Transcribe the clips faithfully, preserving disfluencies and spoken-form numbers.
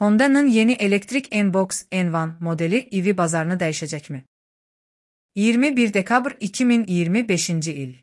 Honda'nın yeni elektrik N-Box N bir modeli E V bazarını dəyişəcək mi? iyirmi bir dekabr iki min iyirmi beşinci il.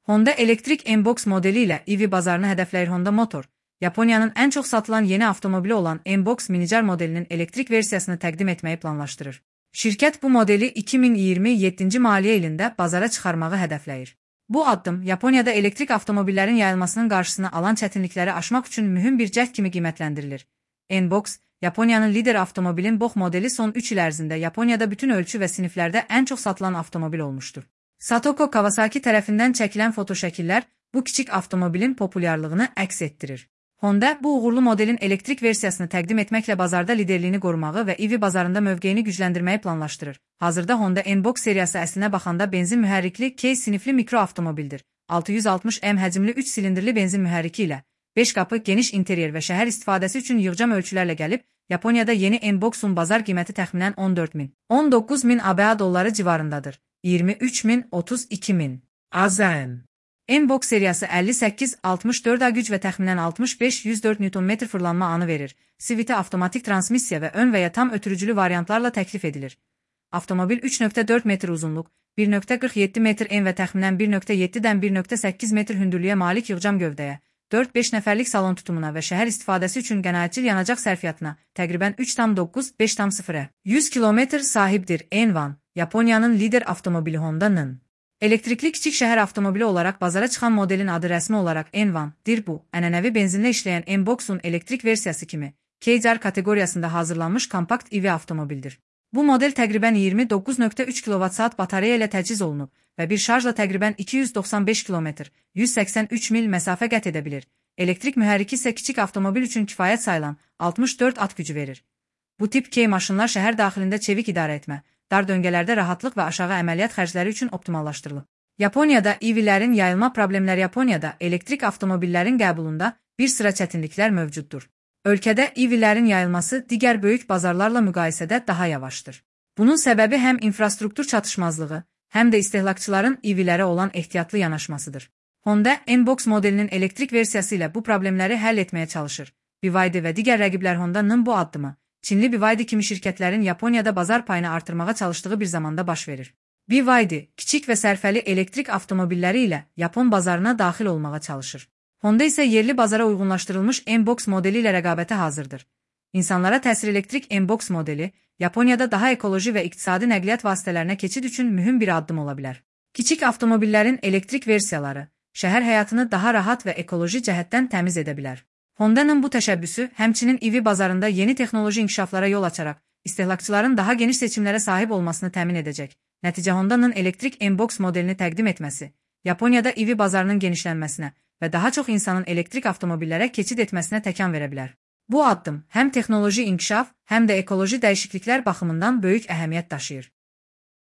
Honda elektrik N-Box modeli ilə E V bazarını hədəfləyir. Honda Motor, Yaponiyanın ən çox satılan yeni avtomobili olan N-Box minicar modelinin elektrik versiyasını təqdim etməyi planlaşdırır. Şirkət bu modeli iki min iyirmi yeddinci maliyyə ilində bazara çıxarmağı hədəfləyir. Bu addım Yaponiyada elektrik avtomobillərin yayılmasının qarşısını alan çətinlikləri aşmaq üçün mühüm bir cəhd kimi qiymətləndirilir. N-Box, Yaponiyanın lider avtomobilin box modeli son üç il ərzində Yaponiyada bütün ölçü və siniflərdə ən çox satılan avtomobil olmuşdur. Satoko Kawasaki tərəfindən çəkilən fotoşəkillər bu kiçik avtomobilin populyarlığını əks etdirir. Honda bu uğurlu modelin elektrik versiyasını təqdim etməklə bazarda liderliyini qorumağı və E V bazarında mövqeyini gücləndirməyi planlaşdırır. Hazırda Honda N-Box seriyası əslinə baxanda benzin mühərrikli K sinifli mikro avtomobildir. altı yüz altmış M həcmli üç silindrli benzin mühərriki ilə beş qapı, geniş interyer və şəhər istifadəsi üçün yığcam ölçülərlə gəlib, Yaponiyada yeni N-Box'un bazar qiyməti təxminən on dörd min - on doqquz min ABA dolları civarındadır. iyirmi üç min - otuz iki min. Azam. N-Box seriyası əlli səkkiz altmış dörd A güc və təxminən altmış beş yüz dörd Newton metr fırlanma anı verir. C V T avtomatik transmissiya və ön və ya tam ötürücülü variantlarla təklif edilir. Avtomobil üç nöqtə dörd metr uzunluq, bir nöqtə qırx yeddi metr en və təxminən bir nöqtə yeddidən bir nöqtə səkkiz metr hündürlüyə malik yığcam gövdəyə, dörd beş nəfərlik salon tutumuna və şəhər istifadəsi üçün qənaətcil yanacaq sərfiyyatına təqribən üç tam doqquz - beş tam sıfıra yüz kilometr sahibdir. N bir, Yaponiyanın lider avtomobili Honda'nın elektrikli kiçik şəhər avtomobili olaraq bazara çıxan modelin adı rəsmi olaraq N bir-dir. Bu, ənənəvi benzinlə işləyən N-Box'un elektrik versiyası kimi K R kateqoriyasında hazırlanmış kompakt E V avtomobildir. Bu model təqribən iyirmi doqquz nöqtə üç kilovat-saat batareya ilə təchiz olunub və bir şarjla təqribən iki yüz doxsan beş kilometr yüz səksən üç mil məsafə qət edə bilir. Elektrik mühərriki isə kiçik avtomobil üçün kifayət sayılan altmış dörd at gücü verir. Bu tip K maşınlar şəhər daxilində çevik idarə etmə, dar döngələrdə rahatlıq və aşağı əməliyyat xərcləri üçün optimallaşdırılıb. Yaponiyada E V-lərin yayılma problemləri Yaponiyada elektrik avtomobillərin qəbulunda bir sıra çətinliklər mövcuddur. Ölkədə E V-lərin yayılması digər böyük bazarlarla müqayisədə daha yavaşdır. Bunun səbəbi həm infrastruktur çatışmazlığı, həm də istehlakçıların E V-lərə olan ehtiyatlı yanaşmasıdır. Honda N-Box modelinin elektrik versiyası ilə bu problemləri həll etməyə çalışır. B Y D və digər rəqiblər Honda'nın bu addımı, Çinli B Y D kimi şirkətlərin Yaponiyada bazar payını artırmağa çalışdığı bir zamanda baş verir. B Y D, kiçik və sərfəli elektrik avtomobilləri ilə Yapon bazarına daxil olmağa çalışır. Honda isə yerli bazara uyğunlaşdırılmış N-Box modeli ilə rəqabətə hazırdır. İnsanlara təsir elektrik N-Box modeli, Yaponiyada daha ekoloji və iqtisadi nəqliyyat vasitələrinə keçid üçün mühüm bir addım ola bilər. Kiçik avtomobillərin elektrik versiyaları, şəhər həyatını daha rahat və ekoloji cəhətdən təmiz edə bilər. Honda'nın bu təşəbbüsü, həmçinin E V bazarında yeni texnoloji inkişaflara yol açaraq, istehlakçıların daha geniş seçimlərə sahib olmasını təmin edəcək. Nəticə Honda'nın elektrik N-Box modelini təqdim etməsi, Yaponiyada E V bazarının genişlənməsinə və daha çox insanın elektrik avtomobillərə keçid etməsinə təkan verə bilər. Bu addım həm texnoloji inkişaf, həm də ekoloji dəyişikliklər baxımından böyük əhəmiyyət daşıyır.